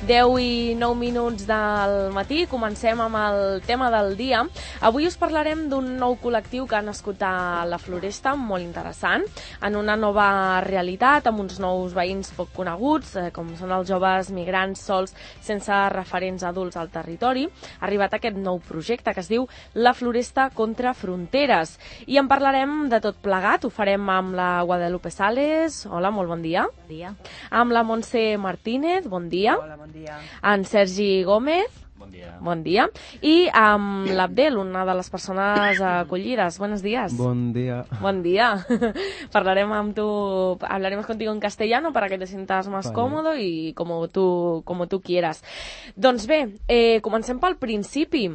10 i 9 minuts del matí. Comencem amb el tema del dia. Avui us parlarem d'un nou col·lectiu que ha nascut a la Floresta, molt interessant, en una nova realitat, amb uns nous veïns poc coneguts, com són els joves migrants sols sense referents adults al territori. Ha arribat aquest nou projecte que es diu La Floresta contra Fronteres. I en parlarem de tot plegat. Ho farem amb la Guadalupe Sales. Hola, molt bon dia. Bon dia. Amb la Montse Martínez. Bon dia. Hola, bon dia. En Sergi Gómez. Bon dia. Bon dia. I amb l'Abdel, una de les persones acollides. Buenos días. Buen día. Buen día. Hablaremos contigo en castellano para que te sientas más cómodo y como tú quieras. Doncs bé, comencem pel principi.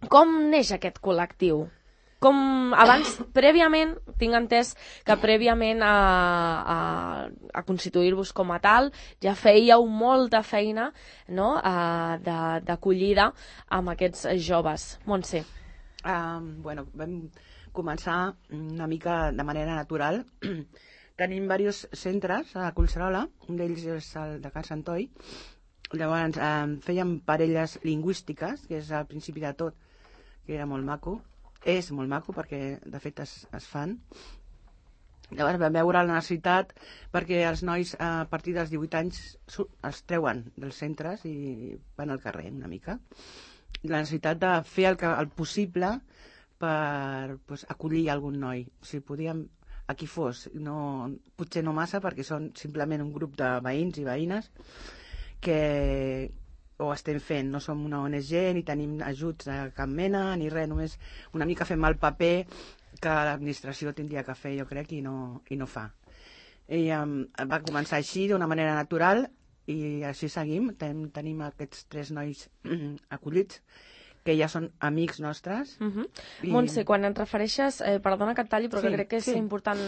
Com neix aquest col·lectiu? Prèviament, tinc entès que prèviament a constituir-vos com a tal, ja fèieu molta feina, no?, d'acollida amb aquests joves. Montse. Vam començar una mica de manera natural. Tenim diversos centres a Collserola, un d'ells és el de Can Santoi. Llavors fèiem parelles lingüístiques, que és al principi de tot, que era molt maco. És molt maco perquè de fet es fan. Llavors vam veure la necessitat perquè els nois a partir dels 18 anys els treuen dels centres i van al carrer una mica. La necessitat de fer el possible per acollir algun noi. Si podíem, a qui fos, potser no massa perquè són simplement un grup de veïns i veïnes que ho estem fent, no som una ONG ni tenim ajuts de cap mena ni res, només una mica fem el paper que l'administració tindria que fer, jo crec, i no fa. I va començar així d'una manera natural i així seguim. Tenim aquests 3 nois acollits que ja són amics nostres. Montse, quan et refereixes, perdona que et talli, però crec que és important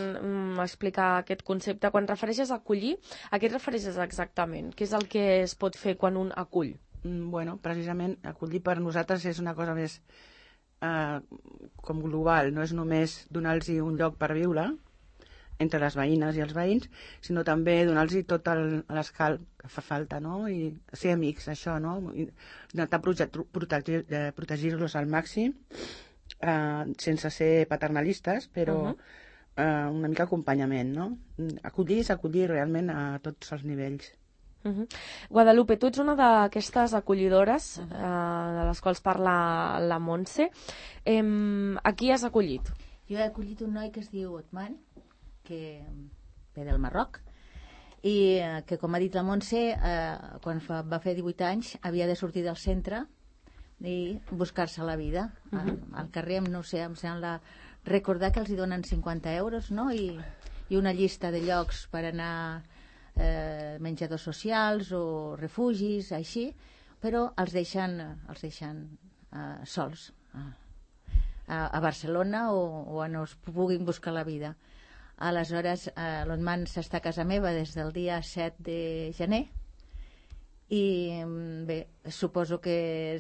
explicar aquest concepte. Quan et refereixes a acollir, a què et refereixes exactament? Què és el que es pot fer quan un acull? Precisament, acollir per nosaltres és una cosa més com global. No és només donar-los un lloc per viure entre les veïnes i els veïns, sinó també donar-los tot l'escalf que fa falta, no? I ser amics, això, no? Intentar protegir-los al màxim, sense ser paternalistes, però una mica acompanyament, no? Acollir és acollir realment a tots els nivells. Guadalupe, tu ets una d'aquestes acollidores de les quals parla la Montse. A qui has acollit? Jo he acollit un noi que es diu Otman, que ve del Marroc, i que, com ha dit la Montse, quan va fer 18 anys havia de sortir del centre i buscar-se la vida. Al carrer, no sé, em sembla recordar que els hi donen 50 euros, no? I una llista de llocs per anar menjadors socials o refugis, així, però els deixen sols a Barcelona o on es puguin buscar la vida. Aleshores, l'Otman s'està a casa meva des del dia 7 de gener i bé, suposo que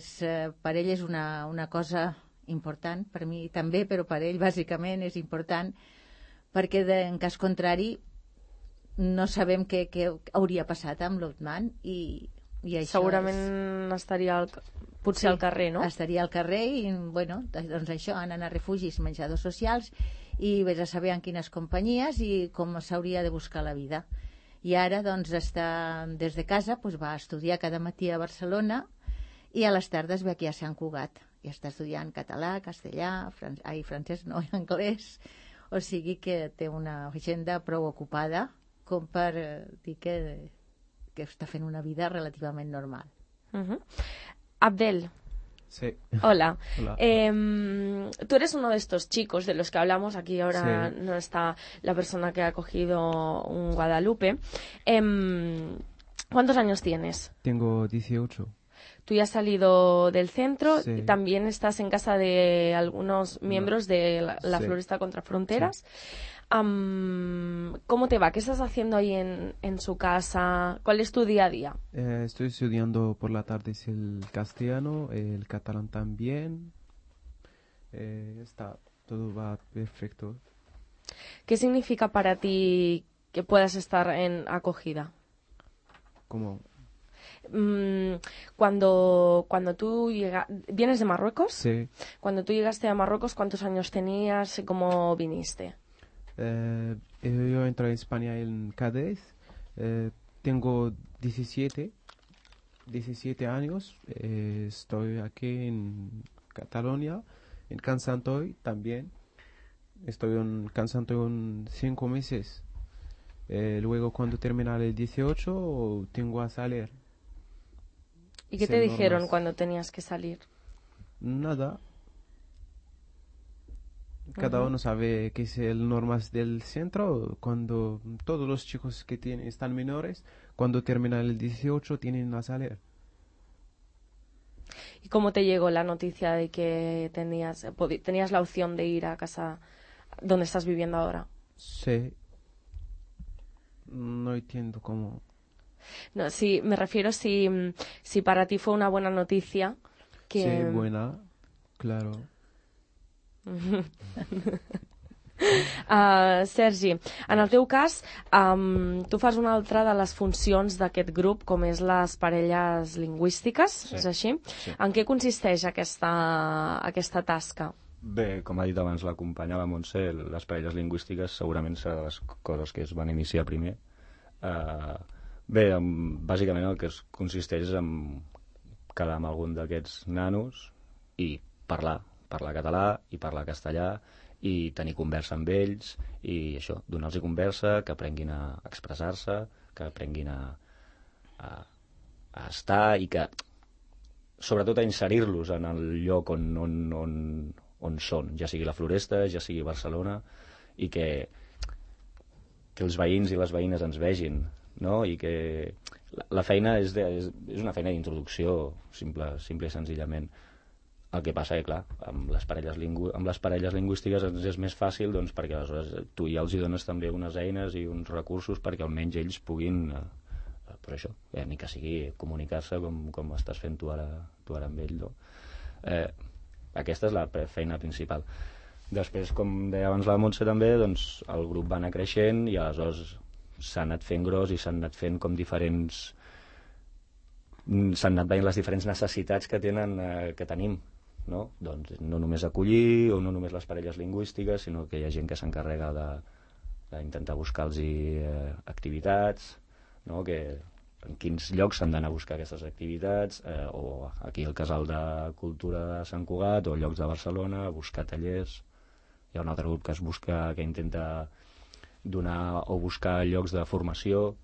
per ell és una cosa important, per mi també, però per ell bàsicament és important, perquè en cas contrari no sabem què hauria passat amb l'Otman i això segurament estaria potser al carrer, no? Estaria al carrer i, bueno, doncs això, anant a refugis, menjadors socials i vés a saber en quines companyies i com s'hauria de buscar la vida. I ara, doncs, està des de casa, va estudiar cada matí a Barcelona i a les tardes ve aquí a Sant Cugat i està estudiant català, castellà, francès, no, anglès, o sigui que té una agenda prou ocupada com per dir que està fent una vida relativament normal. Abdel. Sí. Hola. Hola. Tú eres uno de estos chicos de los que hablamos. Aquí ahora no está la persona que ha cogido un Guadalupe. ¿Cuántos años tienes? Tengo 18. Tú ya has salido del centro Sí. y también estás en casa de algunos miembros de la Floresta contra Fronteras. Sí. ¿Cómo te va? ¿Qué estás haciendo ahí en su casa? ¿Cuál es tu día a día? Estoy estudiando por la tarde el castellano, el catalán también. Todo va perfecto. ¿Qué significa para ti que puedas estar en acogida? ¿Cómo? cuando tú vienes de Marruecos, Sí. cuando tú llegaste a Marruecos, ¿cuántos años tenías y cómo viniste? Yo entré en España en Cádiz. Tengo 17 años. Estoy aquí en Cataluña, en Can Santoy también. Estoy en Can Santoy 5 meses. Luego, cuando termina el 18, tengo a salir. ¿Y qué te Ser dijeron normas. cuando tenías que salir? Nada. Cada uno sabe qué es el normas del centro. Cuando todos los chicos que están menores, cuando terminan el 18, tienen a salir. ¿Y cómo te llegó la noticia de que tenías la opción de ir a casa donde estás viviendo ahora? Sí. No entiendo cómo. No, sí, me refiero si para ti fue una buena noticia que... Sí, buena, claro. Sergi, en el teu cas, tu fas una altra de les funcions d'aquest grup, com és les parelles lingüístiques, Sí. és així? Sí. En què consisteix aquesta tasca? Bé, com ha dit abans la companya, la Montse, les parelles lingüístiques segurament serà de les coses que es van iniciar primer. Bé, bàsicament el que consisteix en quedar amb algun d'aquests nanos i parlar català i parlar castellà i tenir conversa amb ells i això, donar-los conversa, que aprenguin a expressar-se, que aprenguin a estar i que sobretot a inserir-los en el lloc on són, ja sigui la Floresta, ja sigui Barcelona, i que els veïns i les veïnes ens vegin, no? I que la feina és una feina d'introducció, simple i senzillament. El que passa que, clar, amb les parelles lingüístiques ens és més fàcil, doncs, perquè aleshores tu ja els dones també unes eines i uns recursos perquè almenys ells puguin, per això, ni que sigui comunicar-se com estàs fent tu ara amb ell, no? Aquesta és la feina principal. Després, com deia abans la Montse també, doncs el grup va anar creixent i aleshores s'ha anat fent gros i s'han anat fent com diferents... s'han anat veient les diferents necessitats que tenim, no? Doncs no només acollir o no només les parelles lingüístiques, sinó que hi ha gent que s'encarrega d'intentar buscar-los activitats, no? Que en quins llocs s'han d'anar a buscar aquestes activitats, o aquí al Casal de Cultura de Sant Cugat o llocs de Barcelona, a buscar tallers. Hi ha un altre grup que intenta donar o buscar llocs de formació.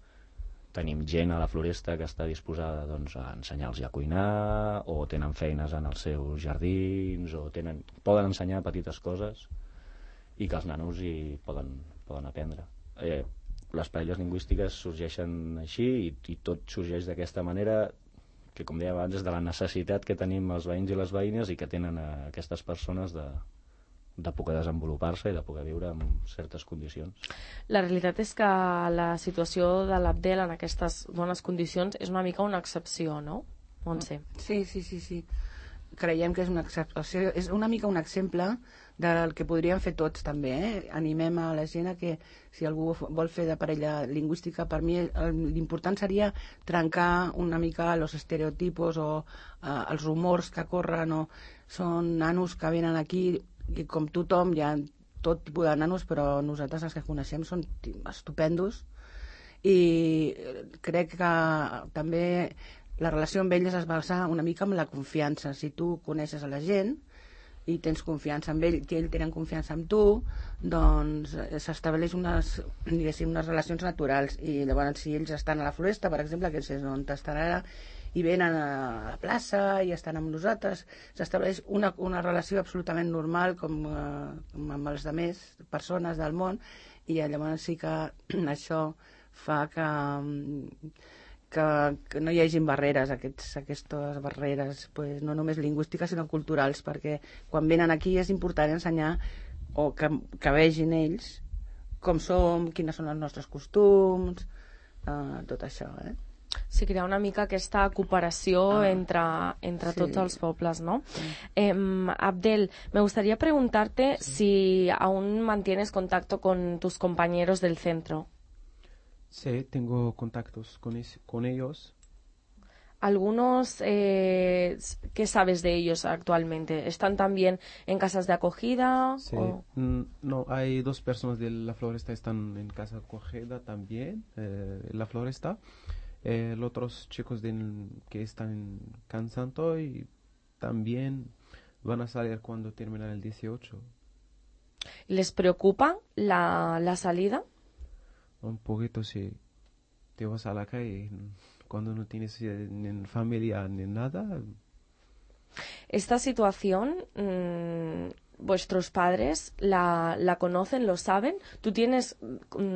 Tenim gent a la Floresta que està disposada, doncs, a ensenyar-los a cuinar, o tenen feines en els seus jardins, o poden ensenyar petites coses i que els nanos hi poden aprendre. Les parelles lingüístiques sorgeixen així i tot sorgeix d'aquesta manera, que, com deia abans, és de la necessitat que tenim els veïns i les veïnes i que tenen aquestes persones de poder desenvolupar-se i de poder viure en certes condicions. La realitat és que la situació de l'Abdel en aquestes bones condicions és una mica una excepció, no? Montse. Sí. Creiem que és una excepció, és una mica un exemple del que podríem fer tots també, Animem a la gent a que si algú vol fer de parella lingüística, per mi l'important seria trencar una mica els estereotipos o els rumors que corren, o són nanos que venen aquí i com tothom hi ha tot tipus de nanos, però nosaltres els que coneixem són estupendos i crec que també la relació amb ells es basa una mica en la confiança. Si tu coneixes a la gent i tens confiança en ell i ells tenen confiança en tu, doncs s'estableix unes relacions naturals. I llavors, si ells estan a la Floresta, per exemple, que és on estan ara, i venen a la plaça i estan amb nosaltres, s'estableix una relació absolutament normal com amb les altres persones del món, i llavors sí que això fa que no hi hagin barreres, aquestes barreres, pues, no només lingüístiques sinó culturals, perquè quan venen aquí és important ensenyar o que vegin ells com som, quines són els nostres costums, tot això, Sí, crear una mica aquesta cooperació entre sí. tots els pobles, ¿no? Abdel, me gustaría preguntarte si aún mantienes contacto con tus compañeros del centro. Sí, tengo contactos con ellos. Algunos, ¿qué sabes de ellos actualmente? ¿Están también en casas de acogida? Sí. o- No, hay 2 personas de la floresta están en casa acogida también, en la floresta. Los otros chicos que están en Can Santoy también van a salir cuando termina el 18. ¿Les preocupa la salida? Un poquito si te vas a la calle cuando no tienes ni familia ni nada. Esta situación, vuestros padres la conocen, lo saben. ¿Tú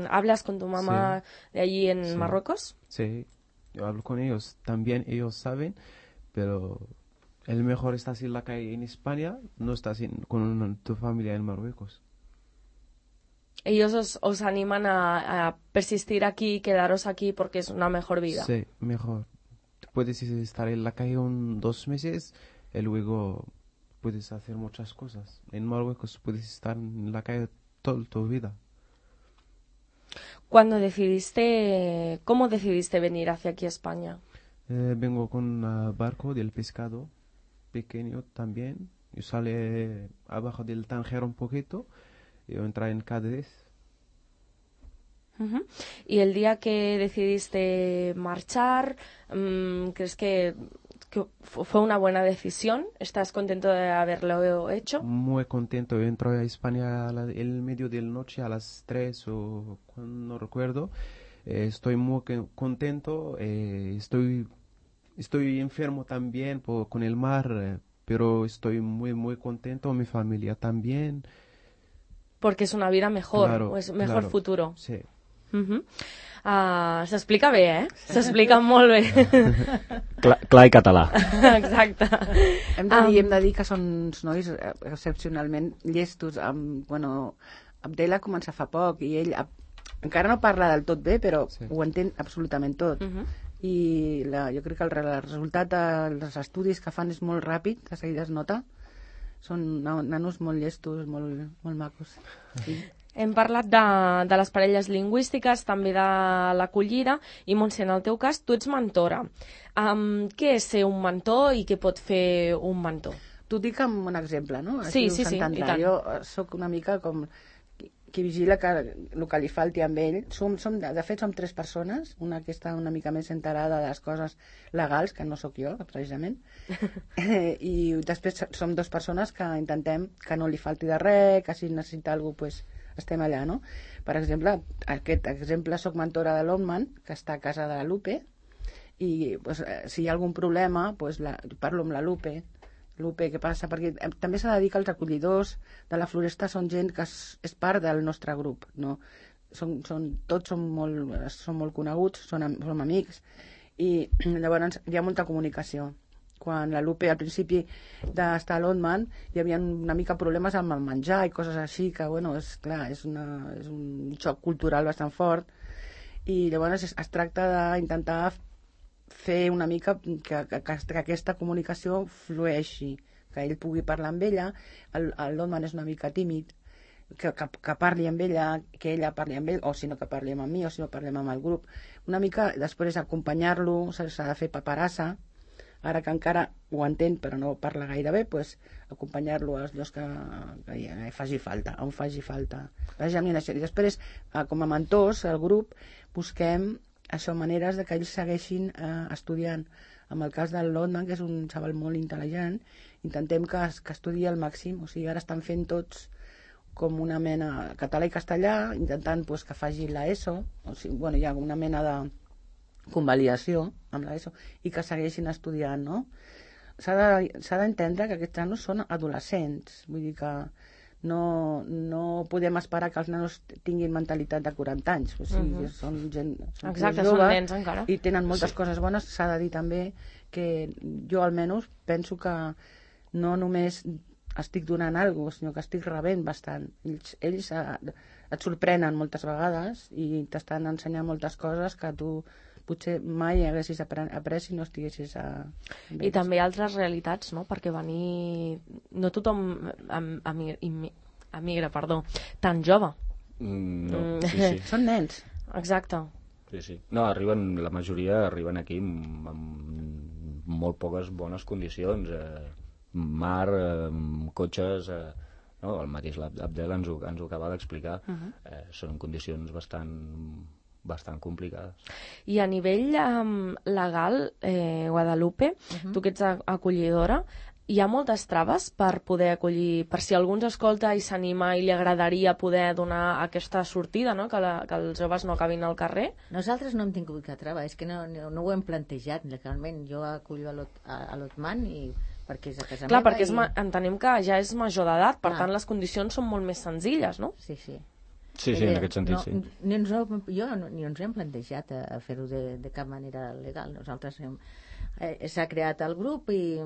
hablas con tu mamá de allí en Sí. Marruecos? Sí, yo hablo con ellos, también ellos saben, pero el mejor estás en la calle en España, no estás con tu familia en Marruecos. Ellos os animan a persistir aquí, quedaros aquí porque es una mejor vida. Sí, mejor. Puedes estar en la calle 2 meses y luego puedes hacer muchas cosas. En Marruecos puedes estar en la calle toda tu vida. ¿Cómo decidiste venir hacia aquí a España? Vengo con un barco del pescado pequeño también. Yo sale abajo del Tánger un poquito. Yo entré en Cádiz. Ujú. Y el día que decidiste marchar, ¿crees que fue una buena decisión? ¿Estás contento de haberlo hecho? Muy contento. Yo entro a España el medio de la noche a las 3 o no recuerdo. Estoy muy contento. Estoy enfermo también con el mar, pero estoy muy, muy contento. Mi familia también. Porque es una vida mejor, Claro, o es mejor claro. futuro. Sí. Uh-huh. S'explica bé, S'explica molt bé. Clar i català. Exacte. Hem de dir que són uns nois excepcionalment llestos. Abdel ha començat fa poc i ell encara no parla del tot bé, però Sí. ho entén absolutament tot. Uh-huh. I jo crec que el resultat dels estudis que fan és molt ràpid, de seguida es nota. Són nanos molt llestos, molt, molt macos. Sí. Hem parlat de les parelles lingüístiques, també de l'acollida, i Montse, en el teu cas, tu ets mentora. Què és ser un mentor i què pot fer un mentor? T'ho dic amb un exemple, no? Sí, Així sí, s'entendrà. i tant. Jo sóc una mica com qui vigila el que li falti amb ell. De fet, som 3 persones, una que està una mica més enterada de les coses legals, que no sóc jo, precisament, i després som 2 persones que intentem que no li falti de res, que si necessita alguna cosa, pues, estem allà, no? Per exemple, aquest exemple, soc mentora de l'Otman, que està a casa de la Lupe, i pues, si hi ha algun problema, pues, parlo amb la Lupe, què passa? Perquè també s'ha de dir que els acollidors de la Floresta són gent que és part del nostre grup, no? Tots són molt coneguts, som amics, i llavors hi ha molta comunicació. Quan la Lupe al principi d'estar a l'Otman hi havia una mica problemes amb el menjar i coses així, que bueno, és un xoc cultural bastant fort, i llavors es tracta d'intentar fer una mica que aquesta comunicació flueixi, que ell pugui parlar amb ella. L'Otman és una mica tímid, que parli amb ella, que ella parli amb ell, o si no que parli amb mi, o si no parlem amb el grup. Una mica després acompanyar-lo, s'ha de fer paperassa, ara que encara ho entén però no parla gaire bé, pues, acompanyar-lo als llocs que faci falta, on faci falta. La germinació. I després, com a mentors, el grup, busquem maneres de que ells segueixin estudiant. En el cas de l'Otman, que és un xaval molt intel·ligent, intentem que estudi al màxim. O sigui, ara estan fent tots com una mena català i castellà, intentant pues, que faci l'ESO. O sigui, bueno, hi ha una mena de convalidació amb l'ESO i que segueixin estudiant, no? S'ha d'entendre que aquests nanos són adolescents, vull dir que no podem esperar que els nanos tinguin mentalitat de 40 anys, o sigui, són gent Exacte, joves, són nens encara. i tenen moltes coses bones. S'ha de dir també que jo almenys penso que no només estic donant alguna cosa, sinó que estic rebent bastant. Ells et sorprenen moltes vegades i t'estan ensenyant moltes coses que tu potser mai haguessis après si no estiguessis I també altres realitats, no? Perquè no tothom emigra, tan jove. No, sí. Són nens. Exacte. Sí. No, la majoria arriben aquí amb molt poques bones condicions, mar, cotxes, no? El mateix l'Abdel ens ho acaba d'explicar. Són condicions bastant complicades. I a nivell legal, Guadalupe, tu que ets acollidora, hi ha moltes traves per poder acollir, per si algú ens escolta i s'anima i li agradaria poder donar aquesta sortida, no? Que els joves no acabin al carrer? Nosaltres no hem tingut cap trava, és que no ho hem plantejat legalment. Jo acullo a l'Otman perquè és a casa Clar, meva. perquè entenem que ja és major d'edat, per tant les condicions són molt més senzilles, no? Sí, sí. Sí, en aquest sentit, sí. Ni ens hem plantejat a fer-ho de cap manera legal. Nosaltres s'ha creat el grup i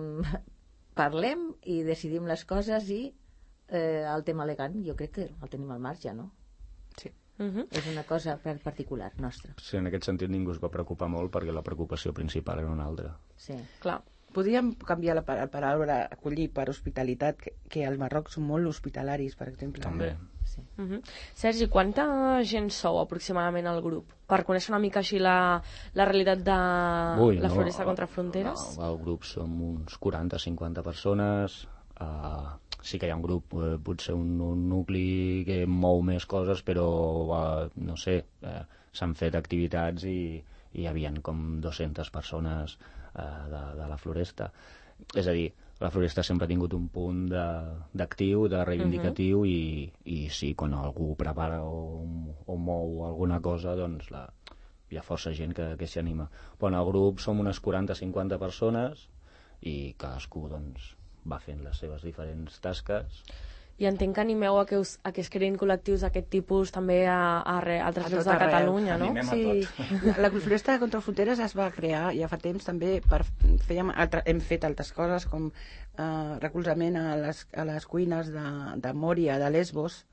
parlem i decidim les coses i el tema legal jo crec que el tenim al marge, no? Sí. És una cosa particular nostra. Sí, en aquest sentit ningú es va preocupar molt perquè la preocupació principal era una altra. Sí. Clar. Podríem canviar la paraula acollir per hospitalitat, que al Marroc són molt hospitalaris, per exemple. També. Sí. Sergi, quanta gent sou aproximadament al grup? Per conèixer una mica així la realitat de la Floresta contra Fronteres? No, al grup som uns 40-50 persones. Sí que hi ha un grup, potser un nucli que mou més coses, però no sé, s'han fet activitats i hi havia com 200 persones de la Floresta. És a dir, la Floresta sempre ha tingut un punt d'actiu, de reivindicatiu, i sí, quan algú prepara o mou alguna cosa, doncs hi ha força gent que s'hi anima. Però en el grup som unes 40-50 persones i cadascú doncs, va fent les seves diferents tasques. I entenc que animeu a que es creïn col·lectius d'aquest tipus també a altres llocs de Catalunya, no? Sí, la Floresta contra Fronteres es va crear ja fa temps també hem fet altres coses com recolzament a les cuines de Mòria, de Lesbos.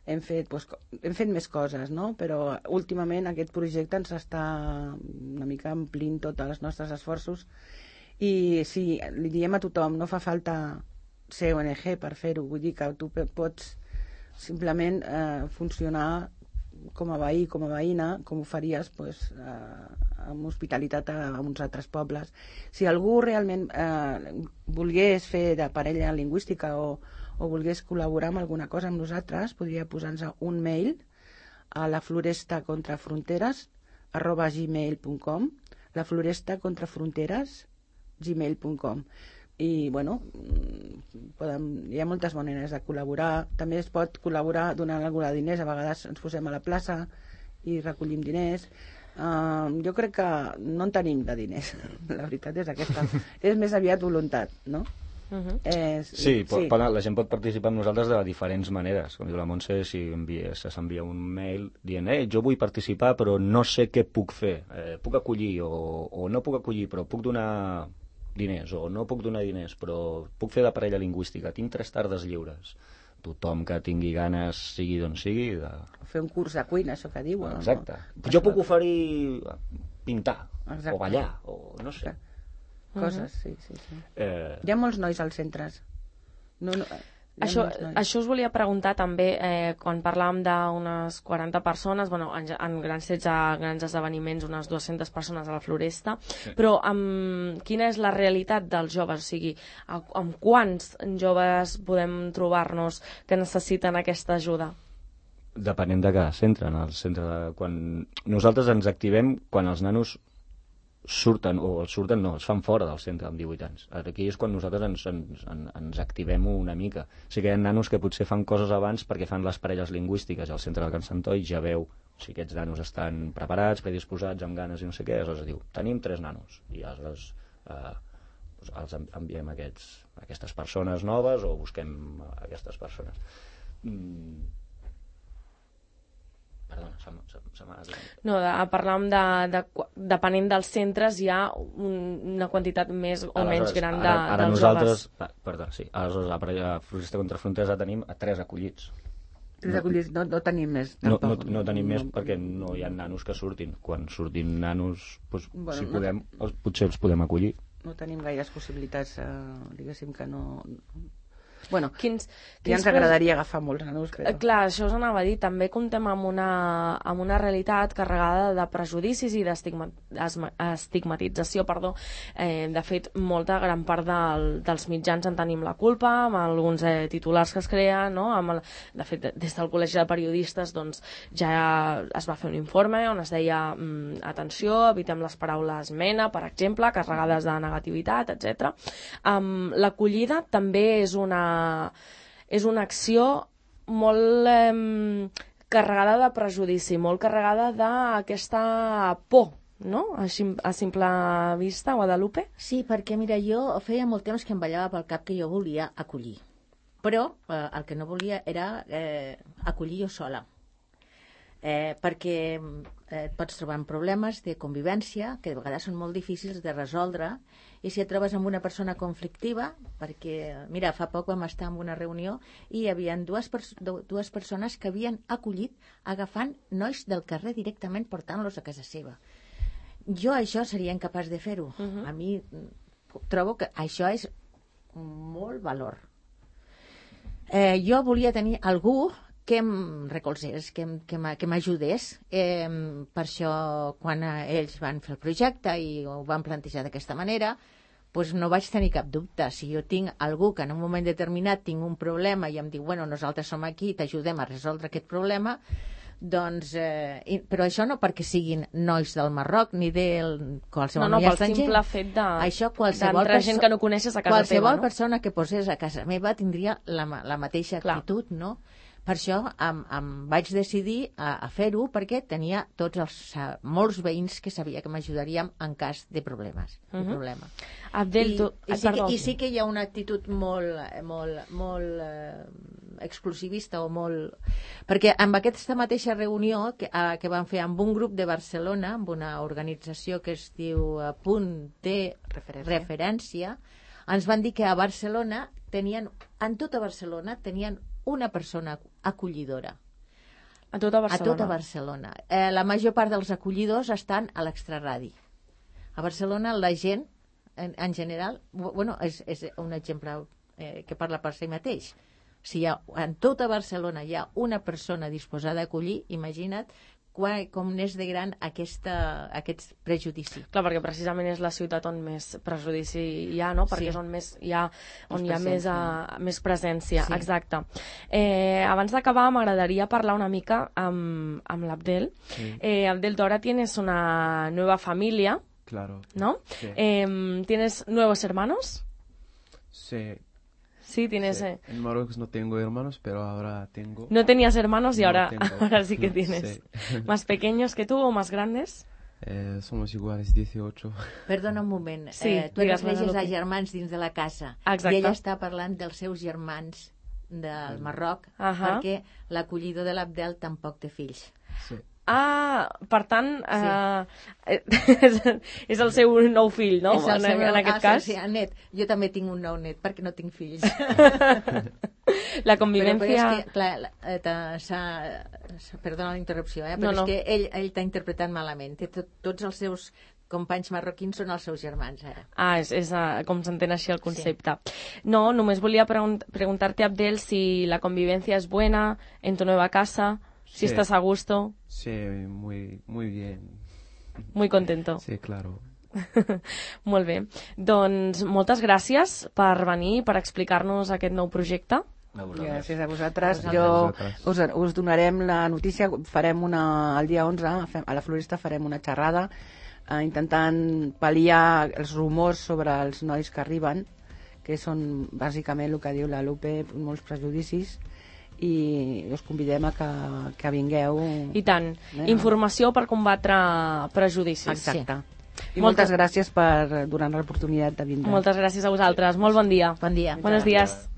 Hem fet més coses, no? Però últimament aquest projecte ens està una mica omplint tots els nostres esforços i sí, li diem a tothom, no fa falta ser ONG per fer-ho, vull dir que tu pots simplement funcionar com a veí, com a veïna, com ho faries amb hospitalitat a uns altres pobles. Si algú realment volgués fer de parella lingüística o volgués col·laborar amb alguna cosa amb nosaltres, podria posar-nos un mail a laflorestacontrafronteres@gmail.com, laflorestacontrafronteres@gmail.com. I bueno, hi ha moltes maneres de col·laborar. També es pot col·laborar donant algú de diners. A vegades ens posem a la plaça i recollim diners. Jo crec que no en tenim de diners, la veritat és aquesta. És més aviat voluntat, no? Sí, la gent pot participar amb nosaltres de diferents maneres. Com diu la Montse, si s'envia un mail dient jo vull participar però no sé què puc fer, puc acollir o no puc acollir però puc donar diners o no puc donar diners però puc fer de parella lingüística, tinc 3 tardes lliures. Tothom que tingui ganes, sigui d'on sigui, fer un curs de cuina, això que diuen. Exacte. Jo puc oferir pintar o ballar o no sé. Coses, sí. Hi ha molts nois als centres. Això us volia preguntar també, quan parlàvem d'unes 40 persones, en grans esdeveniments, unes 200 persones a la Floresta, però quina és la realitat dels joves? O sigui, amb quants joves podem trobar-nos que necessiten aquesta ajuda? Depenent de cada centre. Quan nosaltres ens activem quan els nanos es fan fora del centre amb 18 anys. Aquí és quan nosaltres ens activem una mica. Sí que hi ha nanos que potser fan coses abans perquè fan les parelles lingüístiques al centre del Can Santoi, ja veu si aquests nanos estan preparats, predisposats, amb ganes i no sé què, aleshores diu, tenim 3 nanos, i aleshores els enviem aquestes persones noves o busquem aquestes persones. No, parlàvem depenent dels centres hi ha una quantitat més o menys gran dels joves. Aleshores a Floresta contra Fronteres tenim 3 acollits. 3 acollits, no tenim més. No tenim més perquè no hi ha nanos que surtin. Quan surtin nanos, si podem, potser els podem acollir. No tenim gaires possibilitats, diguéssim que no... Bueno, Quins ja ens agradaria agafar molts nanos, però... Clar, això us anava a dir. També comptem amb una realitat carregada de prejudicis i d'estigmatització. De fet, molta gran part dels mitjans en tenim la culpa, amb alguns titulars que es creen, no? De fet, des del Col·legi de Periodistes doncs, ja es va fer un informe on es deia atenció, evitem les paraules mena, per exemple, carregades de negativitat, etc. L'acollida també és una acció molt carregada de prejudici, molt carregada d'aquesta por, no? A simple vista, Guadalupe? Sí, perquè mira, jo feia molt temps que em ballava pel cap que jo volia acollir, però el que no volia era acollir jo sola. Perquè et pots trobar amb problemes de convivència que de vegades són molt difícils de resoldre, i si et trobes amb una persona conflictiva, perquè, mira, fa poc vam estar en una reunió i hi havia dues persones que havien acollit agafant nois del carrer directament portant-los a casa seva. Jo això seria incapaç de fer-ho. A mi trobo que això és molt valor. Jo volia tenir algú que em recolzés, que m'ajudés. Per això, quan ells van fer el projecte i ho van plantejar d'aquesta manera, doncs no vaig tenir cap dubte. Si jo tinc algú que en un moment determinat tinc un problema i em diu, bueno, nosaltres som aquí, t'ajudem a resoldre aquest problema, doncs, però això no perquè siguin nois del Marroc ni de qualsevol noi estranger. No, pel simple fet d'entrar gent que no coneixes a casa teva, no? Qualsevol persona que posés a casa meva tindria la mateixa actitud, no? Per això em vaig decidir a fer-ho, perquè tenia molts veïns que sabia que m'ajudaríem en cas de problemes. Abdel, I sí que hi ha una actitud molt exclusivista o molt... Perquè amb aquesta mateixa reunió que vam fer amb un grup de Barcelona, amb una organització que es diu Punt de Referència, ens van dir que a Barcelona en tota Barcelona tenien una persona acollidora. A tota Barcelona? A tota Barcelona. La major part dels acollidors estan a l'extraradi. A Barcelona la gent, en general, bueno, és un exemple que parla per si mateix. Si en tota Barcelona hi ha una persona disposada a acollir, imagina't com n'és de gran aquest prejudici. Clar, perquè precisament és la ciutat on més prejudici hi ha, no? Perquè és on hi ha més presència. Sí. Exacte. Abans d'acabar, m'agradaria parlar una mica amb l'Abdel. Sí. Abdel, tu ara tienes una nueva familia. Claro. ¿No? Sí. ¿Tienes nuevos hermanos? Sí. Sí, tienes... Sí. En Marruecos no tengo hermanos, pero ahora tengo... No tenías hermanos y no ahora sí que tienes. Sí. ¿Más pequeños que tú o más grandes? Somos iguales, 18. Perdona un moment. Sí, tu eres a germans dins de la casa. Exacte. I ella està parlant dels seus germans del Marroc, perquè l'acollidor de l'Abdel tampoc té fills. Sí. Ah, per tant, és el seu nou fill, no? En aquest cas. Sí, el net. Jo també tinc un nou net, perquè no tinc fills. La convivència... Però és que, perdona la interrupció, però és que ell t'ha interpretat malament. Tots els seus companys marroquins són els seus germans, ara. Ah, és com s'entén així el concepte. Sí. No, només volia preguntar-te, Abdel, si la convivència és buena en tu nueva casa... Si estás a gusto. Sí, muy bien. Muy contento. Sí, claro. Molt bé. Doncs moltes gràcies per venir i per explicar-nos aquest nou projecte. Gràcies a vosaltres. Us donarem la notícia. Farem el dia 11, a la Floresta farem una xerrada intentant pal·liar els rumors sobre els nois que arriben, que són bàsicament el que diu la Lupe, molts prejudicis, i us convidem a que vingueu. I tant. Informació per combatre prejudicis. Exacte. Sí. I moltes gràcies per donar l'oportunitat de vindre. Moltes gràcies a vosaltres. Molt bon dia. Bon dia. Buenos días.